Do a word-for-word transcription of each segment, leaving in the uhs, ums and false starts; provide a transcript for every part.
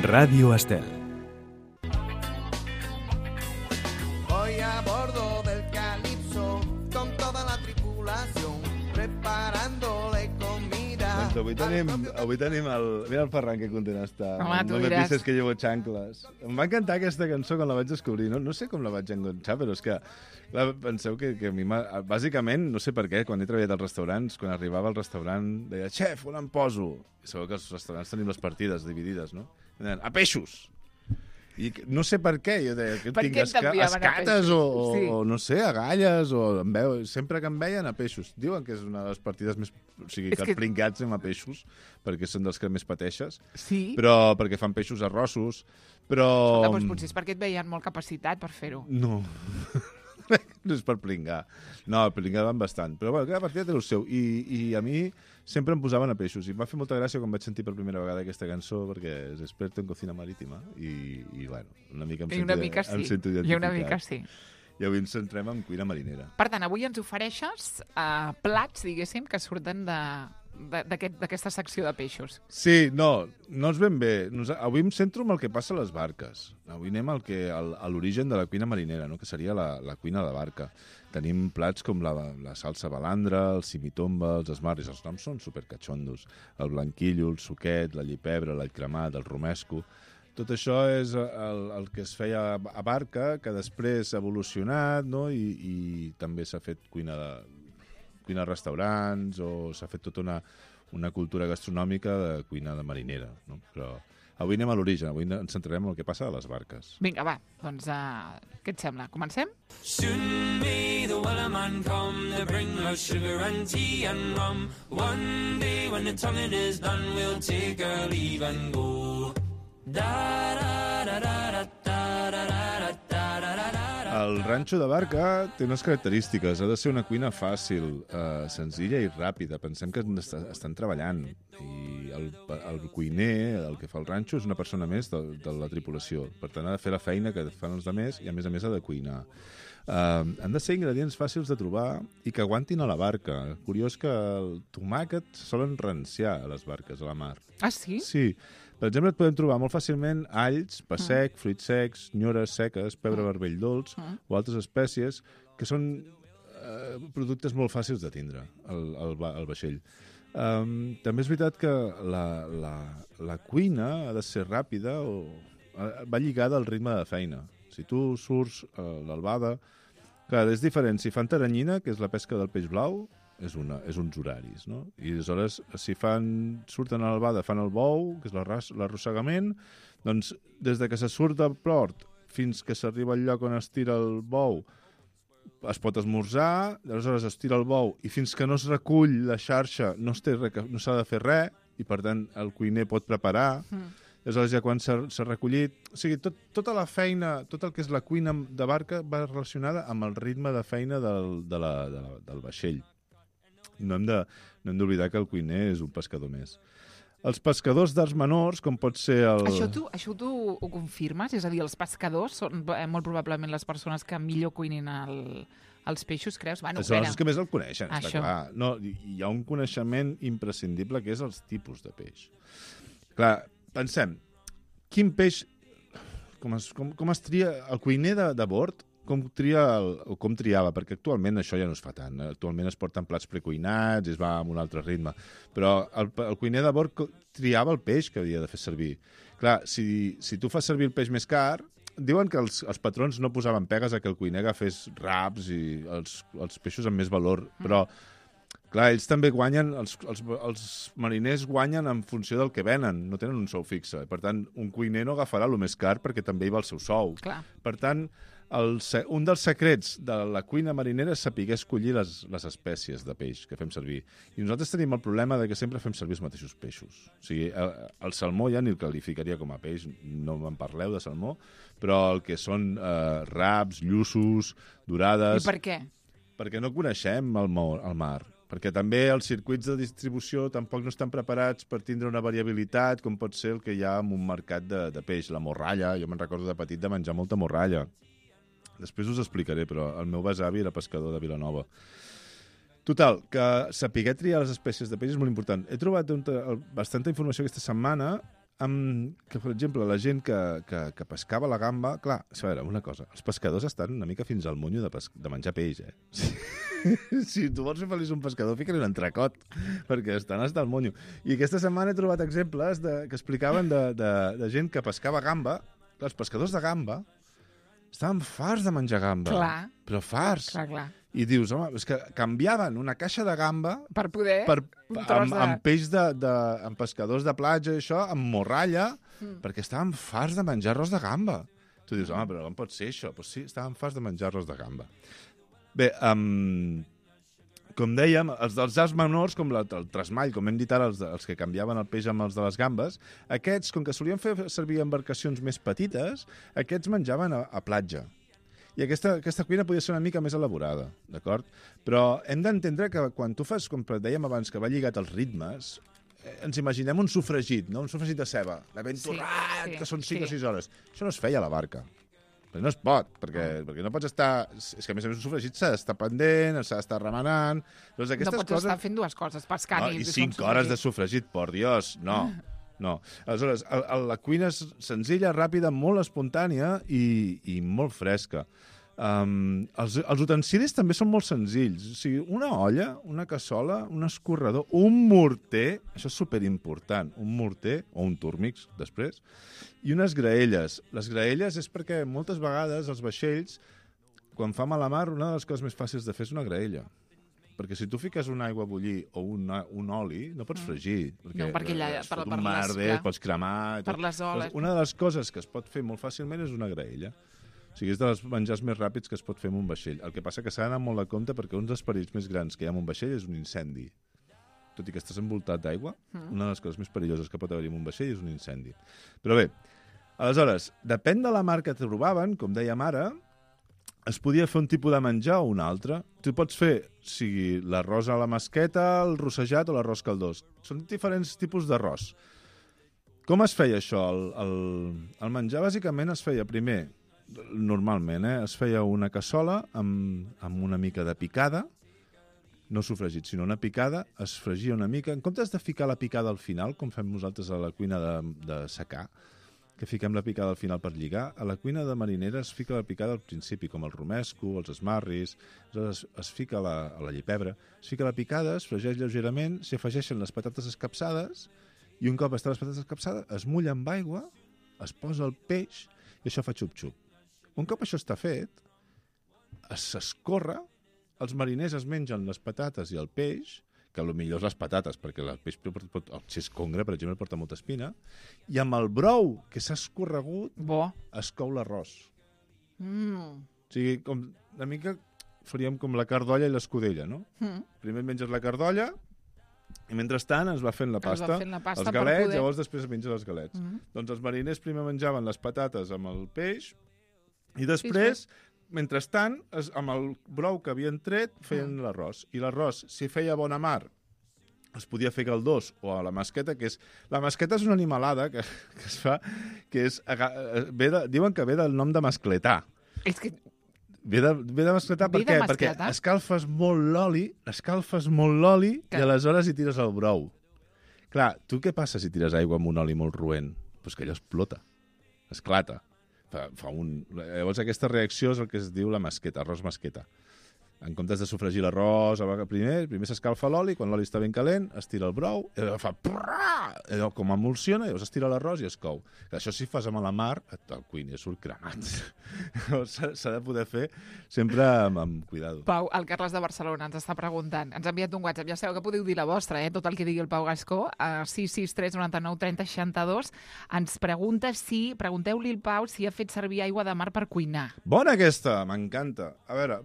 Radio Estel. Voy a bordo del Calipso con toda la tripulación preparándole comida. Doncs avui tenim, avui tenim el... Mira el Ferran que content està. Home, tu no me diràs. pises que llevo xancles. Em va encantar aquesta cançó quan la vaig descobrir. No, no sé com la vaig enganxar, però és que... Clar, penseu que, que a mi m'ha... Bàsicament, no sé per què, quan he treballat als restaurants, quan arribava al restaurant, deia, xef, on em poso? I sabeu que als restaurants tenim les partides dividides, no? I deien, a peixos! I no sé per què, jo deia, que Per tinc què esca t'enviaven a escates o, o, Sí. o, no sé, a galles, o em veu, sempre que em veien a peixos. Diuen que és una de les partides més... O sigui, És que, que- els pringats anem a peixos, perquè són dels que més pateixes, Sí? però perquè fan peixos arrossos, però... Escolta, doncs potser és perquè et veien molt capacitat per fer-ho. No. No és per pringar. No, pringaven bastant. Però bueno, cada partida té el seu. I, I a mi sempre em posaven a peixos. I em va fer molta gràcia quan vaig sentir per primera vegada aquesta cançó, perquè és experto en cocina marítima. I, i bueno, una mica em I sento, una mica em sí. sento I una identificat. mica sí. I avui ens centrem en cuina marinera. Per tant, avui ens ofereixes uh, plats, diguéssim, que surten de de- d'aquest- d'aquesta secció de peixos. Sí, no, no és ben bé. Nos, avui em centro en el que passa a les barques. Avui anem al que, al, a l'origen de la cuina marinera, no? Que seria la, la cuina de barca. Tenim plats com la, la salsa balandra, el simitomba, els esmarris, els noms són supercatxondos. El blanquillo, el suquet, la llipebre, l'all cremat, el romesco. Tot això és el, el que es feia a barca, que després ha evolucionat, no? I, i també s'ha fet cuina de, cuina a restaurants, o s'ha fet tota una, una cultura gastronòmica de cuina de marinera. No? Però avui anem a l'origen, avui ens centrarem en el que passa a les barques. Vinga, va, doncs uh, què et sembla? Comencem? Soon may the wellerman come to bring us sugar and tea and rum. One day when the tonguing is done, we'll take our leave and go. Da da da da da da da da da da da da da. El ranxo de barca té unes característiques. Ha de ser una cuina fàcil, eh, senzilla i ràpida. Pensem que est estan treballant. I el, el cuiner, el que fa el ranxo, és una persona més de, de la tripulació. Per tant, ha de fer la feina que fan els altres i, a més a més, ha de cuinar. Uh, han de ser ingredients fàcils de trobar i que aguantin a la barca. Curiós que el tomàquet solen ranciar a les barques, a la mar. Ah, sí? Sí. Per exemple, et podem trobar molt fàcilment alls, pa sec, fruits secs, nyores seques, pebre vermell dolç Mm. o altres espècies que són eh, productes molt fàcils de tindre al, al, va- al vaixell. Um, també és veritat que la, la, la cuina ha de ser ràpida o eh, va lligada al ritme de feina. Si tu surts a l'albada, clar, és diferent. Si fan taranyina, que és la pesca del peix blau, és, una, és uns horaris, no? I aleshores, si fan, surten a l'albada, fan el bou, que és l'arras- l'arrossegament, doncs des de que se surt del port fins que s'arriba al lloc on es tira el bou, es pot esmorzar, aleshores es tira el bou i fins que no es recull la xarxa no es té re- no s'ha de fer res i per tant el cuiner pot preparar. Mm. Aleshores ja quan s'ha s'ha recollit... O sigui, tot, tota la feina, tot el que és la cuina de barca va relacionada amb el ritme de feina del, de la, de la, del vaixell. No hem de, no hem d'oblidar que el cuiner és un pescador més. Els pescadors d'arts menors, com pot ser el... Això tu, això tu ho confirmes? És a dir, els pescadors són eh, molt probablement les persones que millor cuinin el, els peixos, creus? Bueno, Són els que més el coneixen, està Això. clar. No, hi hi ha un coneixement imprescindible que és els tipus de peix. Clar, pensem, quin peix... Com es, com, com es tria el cuiner de, de bord? Com tria el, o com triava? Perquè actualment això ja no es fa tant. Actualment es porten plats precuinats i es va amb un altre ritme. Però el, el cuiner de bord co- triava el peix que havia de fer servir. Clar, si, si tu fas servir el peix més car, diuen que els, els patrons no posaven pegues a que el cuiner agafés raps i els, els peixos amb més valor, però clar, ells també guanyen, els, els, els mariners guanyen en funció del que venen, no tenen un sou fixe. Per tant, un cuiner no agafarà el més car perquè també hi va el seu sou. Clar. Per tant, el, se- un dels secrets de la cuina marinera és saber escollir les, les espècies de peix que fem servir. I nosaltres tenim el problema de que sempre fem servir els mateixos peixos. O sigui, el, el salmó ja ni el qualificaria com a peix, no me'n parleu de salmó, però el que són eh, raps, lluços, dorades... I per què? Perquè no coneixem el, mo- el mar. Perquè també els circuits de distribució tampoc no estan preparats per tindre una variabilitat com pot ser el que hi ha en un mercat de, de peix. La morralla, jo me'n recordo de petit de menjar molta morralla. Després us explicaré, però el meu besavi era pescador de Vilanova. Total, que saber triar les espècies de peix és molt important. He trobat un, bastanta informació aquesta setmana amb, que, per exemple, la gent que, que, que pescava la gamba... Clar, a veure, una cosa, els pescadors estan una mica fins al monyo de, pes, de menjar peix, eh? Si tu vols fer feliç un pescador, fica-li un entrecot, perquè estan hasta al monyo. I aquesta setmana he trobat exemples de, que explicaven de, de, de gent que pescava gamba. Els pescadors de gamba estaven farts de menjar gamba. Clar. Però farts. Clar, clar. I dius, home, és que canviaven una caixa de gamba Per poder... per, un amb, tros de... amb peix de, de, amb pescadors de platja i això, amb morralla, mm. perquè estaven farts de menjar arròs de gamba. Tu dius, home, però com pot ser això? Pues sí, estaven farts de menjar arròs de gamba. Bé, um, com dèiem, els dels arts menors, com la, el trasmall, com hem dit ara, els, els que canviaven el peix amb els de les gambes, aquests, com que solien fer servir embarcacions més petites, aquests menjaven a, a platja. I aquesta, aquesta cuina podia ser una mica més elaborada, d'acord? Però hem d'entendre que quan tu fas, com dèiem abans, que va lligat als ritmes, eh, ens imaginem un sofregit, no? Un sofregit de ceba, de ben torrat, sí, sí, que són cinc sí. o sis hores. Això no es feia a la barca. Però no es pot, perquè, oh. perquè no pots estar... És que, a més a més, un sofregit s'ha d'estar pendent, s'ha d'estar remenant... Doncs no pots coses... estar fent dues coses, pescant no, i... I cinc hores de sofregit, por Dios, no. No. Aleshores, el, el, la cuina és senzilla, ràpida, molt espontània i, i molt fresca. Um, els, els utensilis també són molt senzills. O sigui, una olla, una cassola, un escorredor, un morter, això és superimportant, un morter, o un túrmix, després, i unes graelles. Les graelles és perquè moltes vegades els vaixells, quan fa mala mar, una de les coses més fàcils de fer és una graella. Perquè si tu fiques una aigua a bullir o una, un oli, no pots fregir. Perquè, no, perquè allà, es per, fot per un merder, les, pots cremar... Per les oles. Una de les coses que es pot fer molt fàcilment és una graella. O sigui, és dels menjars més ràpids que es pot fer amb un vaixell. El que passa que s'ha d'anar molt de compte perquè un dels perills més grans que hi ha en un vaixell és un incendi. Tot i que estàs envoltat d'aigua, mm. una de les coses més perilloses que pot haver-hi en un vaixell és un incendi. Però bé, aleshores, depèn de la mar que trobaven, com dèiem ara, es podia fer un tipus de menjar o un altre. Tu pots fer, sigui l'arròs a la masqueta, el rossejat o l'arròs caldós. Són diferents tipus d'arròs. Com es feia això? El, el, el menjar, bàsicament, es feia primer... Normalment, eh? Es feia una cassola amb, amb una mica de picada, no sofregit, sinó una picada, es fregia una mica. En comptes de ficar la picada al final, com fem nosaltres a la cuina de, de secà, que fiquem la picada al final per lligar, a la cuina de marinera es fica la picada al principi, com el romesco, els esmarris, es, es fica la, a la llipebre, es fica la picada, es fregeix lleugerament, s'hi afegeixen les patates escapçades, i un cop estan les patates escapçades, es mulla amb aigua, es posa el peix, i això fa xup-xup. Un cop això està fet, s'escorre, els mariners es mengen les patates i el peix, que potser les patates, perquè el peix, pot, si és congre, per exemple, porta molta espina, i amb el brou que s'ha escorregut, bo. Es cou l'arròs. Mm. O sigui, com, una mica faríem com la cardolla i l'escudella, no? Mm. Primer menges la cardolla, i mentrestant es va fent la pasta, fent la pasta els galets, poder... llavors després es mengen els galets. Mm. Doncs els mariners primer menjaven les patates amb el peix, i després, mentrestant, es, amb el brou que havien tret, feien mm. l'arròs. I l'arròs, si feia bona mar, es podia fer caldós o a la masqueta, que és... La masqueta és una animalada que, que es fa, que és... Ve de, diuen que ve del nom de mascletar. És que... Ve de, ve de mascletar ve per què? De perquè escalfes molt l'oli, escalfes molt l'oli que... i aleshores hi tires el brou. Clar, tu què passa si tires aigua amb un oli molt roent? Doncs que allò explota, esclata. Fa, fa un... Llavors aquesta reacció és el que es diu la masqueta, arròs masqueta. En comptes de sofregir l'arròs, primer primer s'escalfa l'oli, quan l'oli està ben calent, es tira el brou, i allò fa... Allò com emulsiona, llavors es tira l'arròs i es cou. Això si fas amb la mar, el cuiner surt cremat. S'ha de poder fer sempre amb, amb cuidado. Pau, el Carles de Barcelona ens està preguntant. Ens ha enviat un WhatsApp. Ja sabeu que podeu dir la vostra, eh? Tot el que digui el Pau Gascó, a sis sis tres nou nou tres zero seixanta dos. Ens pregunta si... Pregunteu-li al Pau si ha fet servir aigua de mar per cuinar. Bona aquesta, m'encanta. A veure,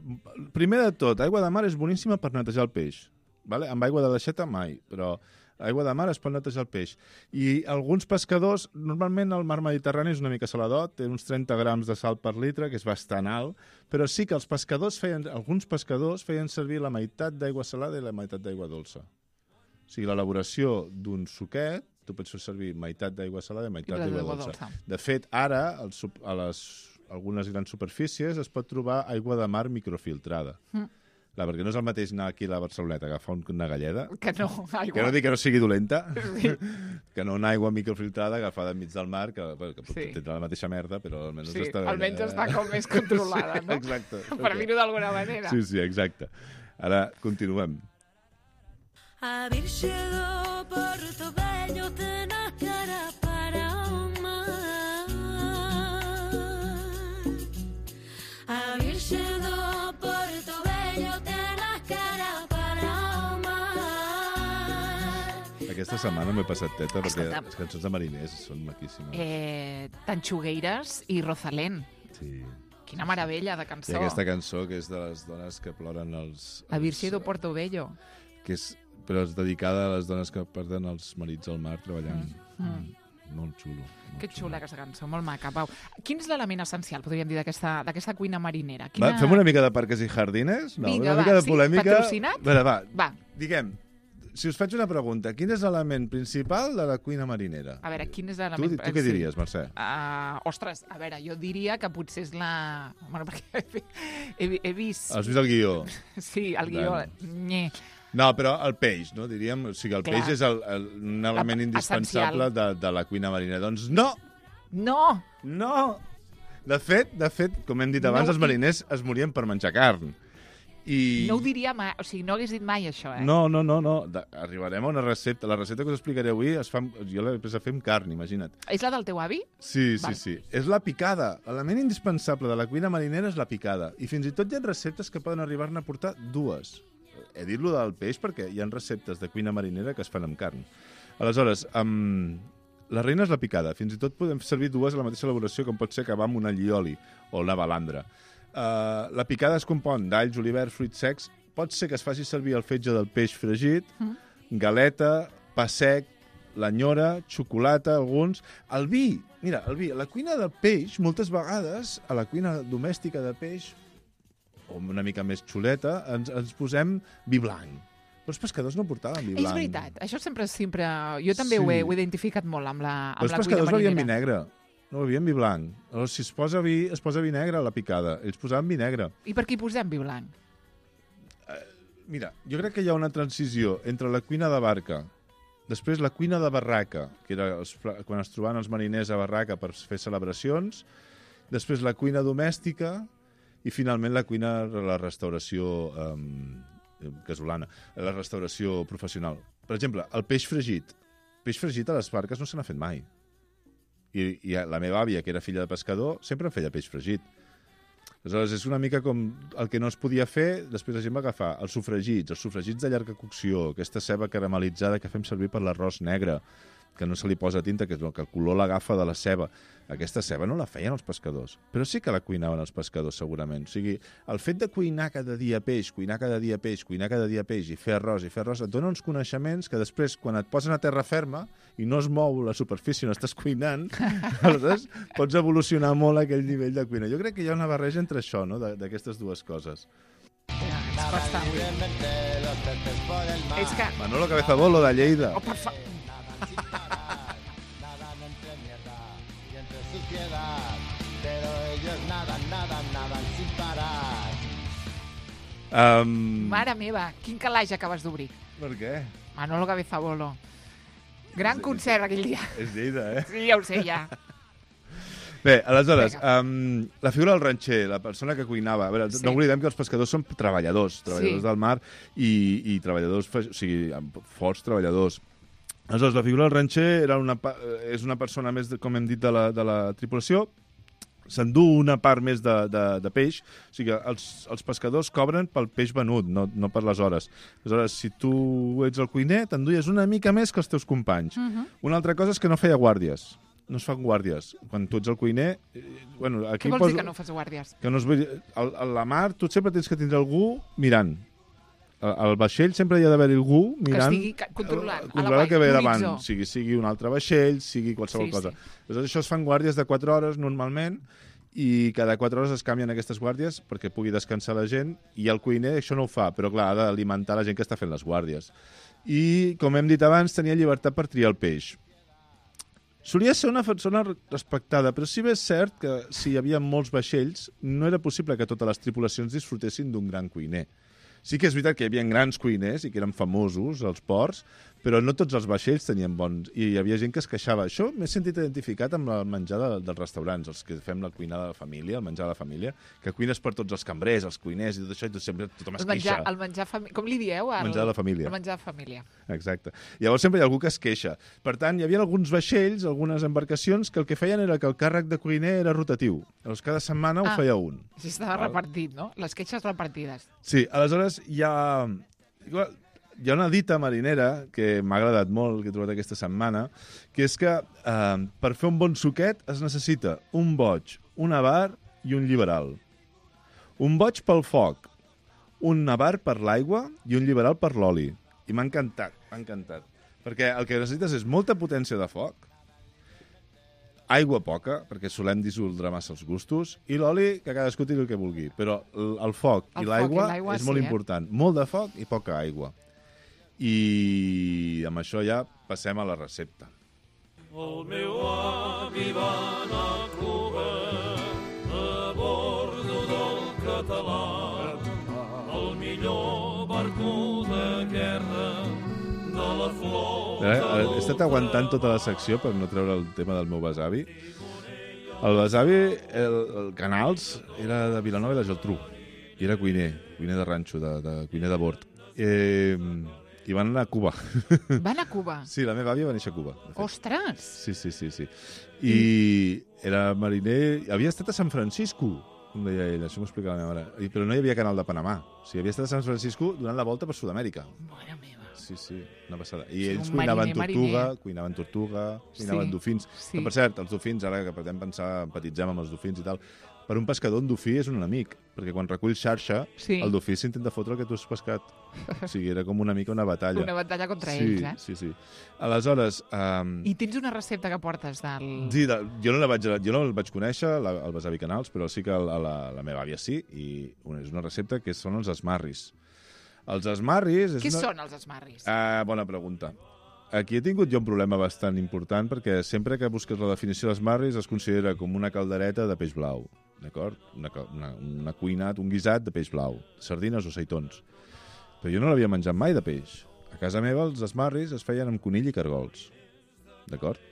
primer de tot, aigua de mar és boníssima per netejar el peix. Vale? Amb aigua de l'aixeta mai, però aigua de mar es pot netejar el peix. I alguns pescadors, normalment el mar Mediterrani és una mica saladot, té uns trenta grams de sal per litre, que és bastant alt, però sí que els pescadors feien, alguns pescadors feien servir la meitat d'aigua salada i la meitat d'aigua dolça. O sigui, l'elaboració d'un suquet, tu pots fer servir meitat d'aigua salada i meitat d'aigua dolça. dolça. De fet, ara, el, a les algunes grans superfícies es pot trobar aigua de mar microfiltrada. Mm. Clar, perquè no és el mateix anar aquí a la Barceloneta, agafar una galleda, que no, aigua. Que no dic que no sigui dolenta, sí. que no una aigua microfiltrada agafada enmig del mar, que, bueno, que potser Sí. tindrà la mateixa merda, però almenys Sí, està bé. almenys està com més controlada, no? Exacte. Per dir-ho d'alguna manera. Sí, sí, exacte. Ara continuem. A Virxe do Porto Vello tena cara para o mar. A Virxe do Porto Vello tena cara para o mar. Aquesta setmana m'he passat teta perquè Escolta'm. les cançons de mariners són maquíssimes. Eh, Tanxugueires i Rosalén. Sí. Quina meravella de I cançó. aquesta cançó que és de les dones que ploren els... La Virxe do els- Porto Bello. Que és, però és dedicada a les dones que perden els marits al mar treballant. Mm. Mm. Molt xulo. Molt Que xulo. xula aquesta cançó, molt maca, Pau. Quin és l'element essencial, podríem dir, d'aquesta d'aquesta cuina marinera? Va, fem una mica de parques i jardines? No, Vinga, una va, mica de sí? polèmica. Patrocinat? Va, va, Va, diguem, si us faig una pregunta, quin és l'element principal de la cuina marinera? a veure, quin és Tu, l'element... tu què diries, Mercè? Uh, ostres, a veure, jo diria que potser és la... Bueno, perquè he, he, he vist... Has vist el guió? Sí, el guió... Bueno. Nye. No, però el peix, no? Diríem, o sigui, el Clar. peix és el, el, un element La- indispensable de, de la cuina marinera. Doncs no! No! No! De fet, de fet, com hem dit No, abans, els i- mariners es morien per menjar carn. I... No ho diria mai, o sigui, no hagués dit mai això, eh? No, no, no, no. De, arribarem a una recepta. La recepta que us explicaré avui es fa, amb- jo l'he després a fer amb carn, imagina't. És la del teu avi? Sí, sí, Val. sí. És la picada. L'element indispensable de la cuina marinera és la picada. I fins i tot hi ha receptes que poden arribar-ne a portar dues. He dit lo del peix perquè hi ha receptes de cuina marinera que es fan amb carn. Aleshores, um, la reina és la picada. Fins i tot podem servir dues a la mateixa elaboració, com pot ser acabar amb un allioli o una balandra. Uh, la picada es compon d'alls, julivert, fruits secs. Pot ser que es faci servir el fetge del peix fregit, Mm. galeta, pa sec, l'anyora, xocolata, alguns... El vi, mira, el vi. A la cuina del peix, moltes vegades, a la cuina domèstica de peix, o una mica més xuleta, ens, ens posem vi blanc. Però els pescadors no portaven vi blanc. És veritat, això sempre... sempre... Jo també Sí. ho, he, ho he identificat molt amb la, Però amb els la cuina pescadors bevien vi marinera. negre. No bevien vi blanc. Llavors, si es posa vi, es posa vi negre a la picada. Ells posaven vi negre. I per què hi posem vi blanc? Mira, jo crec que hi ha una transició entre la cuina de barca, després la cuina de barraca, que era els, pla- quan es trobaven els mariners a barraca per fer celebracions, després la cuina domèstica i finalment la cuina de la restauració eh, casolana, la restauració professional. Per exemple, el peix fregit. Peix fregit a les barques no se n'ha fet mai. I, I la meva àvia, que era filla de pescador, sempre em feia peix fregit. Aleshores, és una mica com el que no es podia fer, després la gent va agafar els sofregits, els sofregits de llarga cocció, aquesta ceba caramelitzada que fem servir per l'arròs negre, que no se li posa tinta, que, que el color l'agafa de la ceba. Aquesta ceba no la feien els pescadors, però sí que la cuinaven els pescadors, segurament. O sigui, el fet de cuinar cada dia peix, cuinar cada dia peix, cuinar cada dia peix, i fer arròs, i fer arròs, et dona uns coneixements que després, quan et posen a terra ferma i no es mou la superfície on estàs cuinant, aleshores pots evolucionar molt aquell nivell de cuina. Jo crec que hi ha una barreja entre això, no?, de- d'aquestes dues coses. Ja, ens costa. És que... Manolo Cabezabolo, de Lleida. Oh, per fa... Nadan entre mierda y entre suciedad, pero ellos nadan, nadan, nadan sin parar. Um, Mare meva, quin calaix acabes d'obrir. Per què? Manolo Cabezabolo. Gran concert aquell dia. És Lleida, eh? Sí, ja ho sé, ja. Bé, aleshores, Vinga. um, la figura del ranxer, la persona que cuinava... A veure, Sí. no oblidem que els pescadors són treballadors, treballadors Sí. del mar i, i treballadors, fe- o sigui, amb forts treballadors. Aleshores, la figura del ranxer era una, pa- eh, és una persona més, de, com hem dit, de la, de la tripulació, s'endú una part més de, de, de peix, o sigui, els, els pescadors cobren pel peix venut, no, no per les hores. Aleshores, si tu ets el cuiner, t'enduies una mica més que els teus companys. Uh -huh. Una altra cosa és que no feia guàrdies. No es fan guàrdies. Quan tu ets el cuiner... Eh, bueno, aquí Què vols poso- dir que no fas guàrdies? que no es vegi... Al- A la mar tu sempre tens que tindre algú mirant. Al, al vaixell sempre hi ha d'haver algú mirant... estigui ca- controlant, eh, a Controlant el que ve l'horitzó. davant. Sigui, sigui un altre vaixell, sigui qualsevol Sí, cosa. sí. Aleshores, això es fan guàrdies de quatre hores normalment i cada quatre hores es canvien aquestes guàrdies perquè pugui descansar la gent i el cuiner això no ho fa, però clar, ha d'alimentar la gent que està fent les guàrdies. I, com hem dit abans, tenia llibertat per triar el peix. Solia ser una persona respectada, però sí bé és cert que si hi havia molts vaixells no era possible que totes les tripulacions disfrutessin d'un gran cuiner. Sí que és veritat que hi havia grans cuiners i que eren famosos als ports, però no tots els vaixells tenien bons. I hi havia gent que es queixava. Això m'he sentit identificat amb el menjar de, dels restaurants, els que fem la cuina de la família, el menjar de la família, que cuines per tots els cambrers, els cuiners i tot això, i tot, sempre tothom es El menjar, queixa. el menjar fami... Com li dieu? El menjar de la família. El menjar de família. Exacte. Llavors sempre hi ha algú que es queixa. Per tant, hi havia alguns vaixells, algunes embarcacions, que el que feien era que el càrrec de cuiner era rotatiu. Llavors cada setmana Ah. ho feia un. Així estava Val. repartit, no? Les queixes repartides. Sí, aleshores hi ha... Hi ha una dita marinera que m'ha agradat molt, que he trobat aquesta setmana, que és que eh, per fer un bon suquet es necessita un boig, un avar i un liberal. Un boig pel foc, un avar per l'aigua i un liberal per l'oli. I m'ha encantat, m'ha encantat. Perquè el que necessites és molta potència de foc, aigua poca, perquè solem dissoldre massa els gustos, i l'oli, que cadascú tiri el que vulgui. Però el, el foc El i foc l'aigua i l'aigua, és molt sí, eh? important. Molt de foc i poca aigua. I amb això ja passem a la recepta. El meu avi va anar a Cuba a bordo del català, el millor barco de guerra de la flor. Eh, he estat aguantant tota la secció per no treure el tema del meu besavi. El besavi, el, el Canals, era de Vilanova i la Geltrú. I era cuiner, cuiner de ranxo, de, de cuiner de bord. Eh, I van anar a Cuba. Van a Cuba. Sí, la meva àvia va néixer a Cuba. de fet. Ostres! Sí, sí, sí, sí. I era mariner... Havia estat a San Francisco, com deia ell, això m'ho explica la meva mare. I- Però no hi havia canal de Panamà. O sigui, havia estat a San Francisco donant la volta per Sud-amèrica. Mare meva. Sí, sí, una passada. I Sí, ells un cuinaven mariner, tortuga, mariner. cuinaven tortuga, cuinaven Sí, dofins. sí. Que, per cert, els dofins, ara que podem pensar, empatitzem amb els dofins i tal, per un pescador un dofí és un amic, perquè quan recull xarxa, Sí. el dofí s'intenta fotre el que tu has pescat. O sigui, era com una mica una batalla. Una batalla contra sí, ells, eh? Sí, sí. Aleshores... Um, I tens una recepta que portes del... Sí, de, jo, no la vaig, jo no el vaig conèixer, la, el besavi Canals, però sí que el, la, la meva àvia sí, i una, és una recepta que són els esmarris. Els esmarris... És Què una... són els esmarris? Ah, bona pregunta. Aquí he tingut jo un problema bastant important perquè sempre que busques la definició d'esmarris es considera com una caldereta de peix blau, d'acord? Una, cal- una, una cuinat, un guisat de peix blau, sardines o seitons. Però jo no l'havia menjat mai de peix. A casa meva els esmarris es feien amb conill i cargols, d'acord?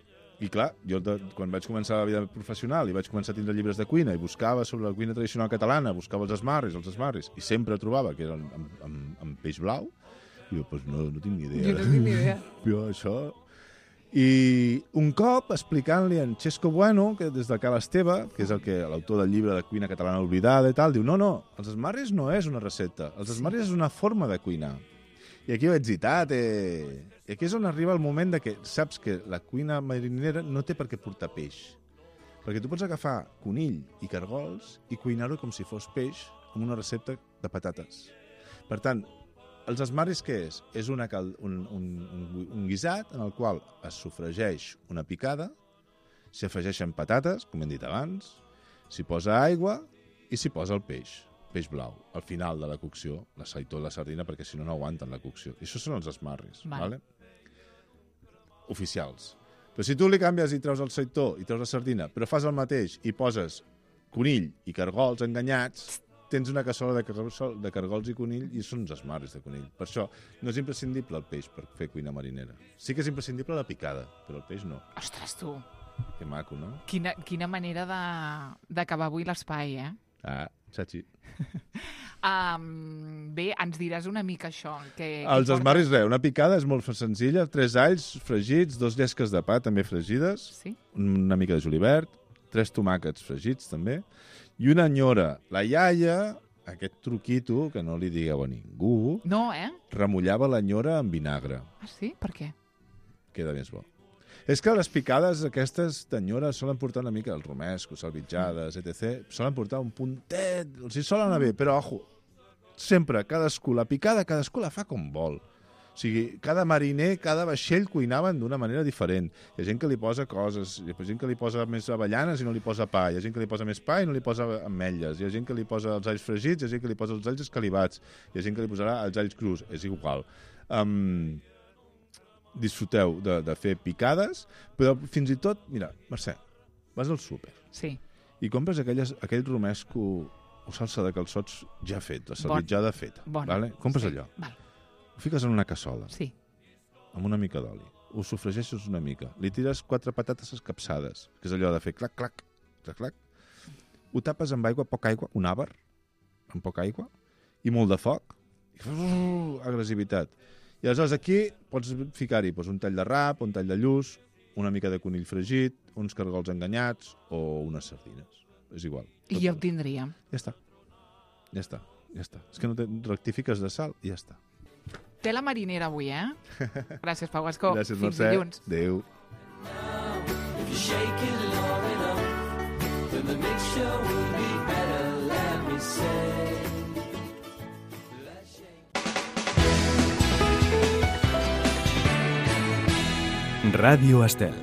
I clar, jo de, quan vaig començar la vida professional i vaig començar a tindre llibres de cuina i buscava sobre la cuina tradicional catalana, buscava els esmarris, els esmarris, i sempre trobava que eren amb, amb, amb peix blau, i jo, pues no, no tinc ni idea. Jo no tinc ni idea. Jo, això... I un cop, explicant-li a en Xesco Bueno, que des de Cal Esteve, que és el que l'autor del llibre de cuina catalana oblidada i tal, diu, no, no, els esmarris no és una recepta, els esmarris és una forma de cuinar. I aquí vaig dir, tate... I aquí és on arriba el moment de que saps que la cuina marinera no té per què portar peix. Perquè tu pots agafar conill i cargols i cuinar-ho com si fos peix amb una recepta de patates. Per tant, els esmarris què és? És una cal... un, un, un, un guisat en el qual es sofregeix una picada, s'hi afegeixen patates, com hem dit abans, s'hi posa aigua i s'hi posa el peix, peix blau, al final de la cocció, la saitó i la sardina, perquè si no, no aguanten la cocció. I això són els esmarris, Val. vale? Oficials. Però si tu li canvies i treus el saitó i treus la sardina, però fas el mateix i poses conill i cargols enganyats, tens una cassola de cargols, de cargols i conill i són uns esmarris de conill. Per això no és imprescindible el peix per fer cuina marinera. Sí que és imprescindible la picada, però el peix no. Ostres, tu, Que maco, no? quina, quina manera de- d'acabar avui l'espai, eh? Ah, Chachi. Um, bé, ens diràs una mica això. Que, que Els porta- esmarris, res, una picada és molt senzilla, tres alls fregits, dos llesques de pa també fregides, Sí? una mica de julivert, tres tomàquets fregits també, i una nyora. La iaia, aquest truquito, que no li digueu a ningú, No, eh? remullava la nyora amb vinagre. Ah, sí? Per què? Queda més bo. És que les picades aquestes d'enyora solen portar una mica els romescos, salvitjades, etcètera. Solen portar un puntet, els hi solen anar bé, però, ojo, sempre, cadascú, la picada, cadascú la fa com vol. O sigui, cada mariner, cada vaixell cuinaven d'una manera diferent. Hi ha gent que li posa coses, hi ha gent que li posa més avellanes i no li posa pa, hi ha gent que li posa més pa i no li posa ametlles, hi ha gent que li posa els alls fregits, hi ha gent que li posa els alls escalivats, hi ha gent que li posarà els alls crus, és igual. Um, disfruteu de, de fer picades, però fins i tot, mira, Mercè, vas al súper Sí. i compres aquelles, aquell romesco o salsa de calçots ja feta, Bon. salvitjada feta. Bon. Vale? Compres Sí. allò, Val. ho fiques en una cassola, Sí. amb una mica d'oli, ho sofregeixes una mica, li tires quatre patates escapçades, que és allò de fer clac, clac, clac, clac, ho tapes amb aigua, poca aigua, un àvar, amb poca aigua, i molt de foc, i uh, agressivitat. I aleshores aquí pots ficar-hi doncs, un tall de rap, un tall de lluç, una mica de conill fregit, uns cargols enganyats o unes sardines. És igual. I ja ho tindríem. Ja està. Ja està. Ja està. És que no te... rectifiques de sal i ja està. Té la marinera avui, eh? Gràcies, Pau Gascó. Gràcies, Fins Mercè. dilluns. Adéu. If you shake it long enough, then the mixture will be better, let me say. Ràdio Estel.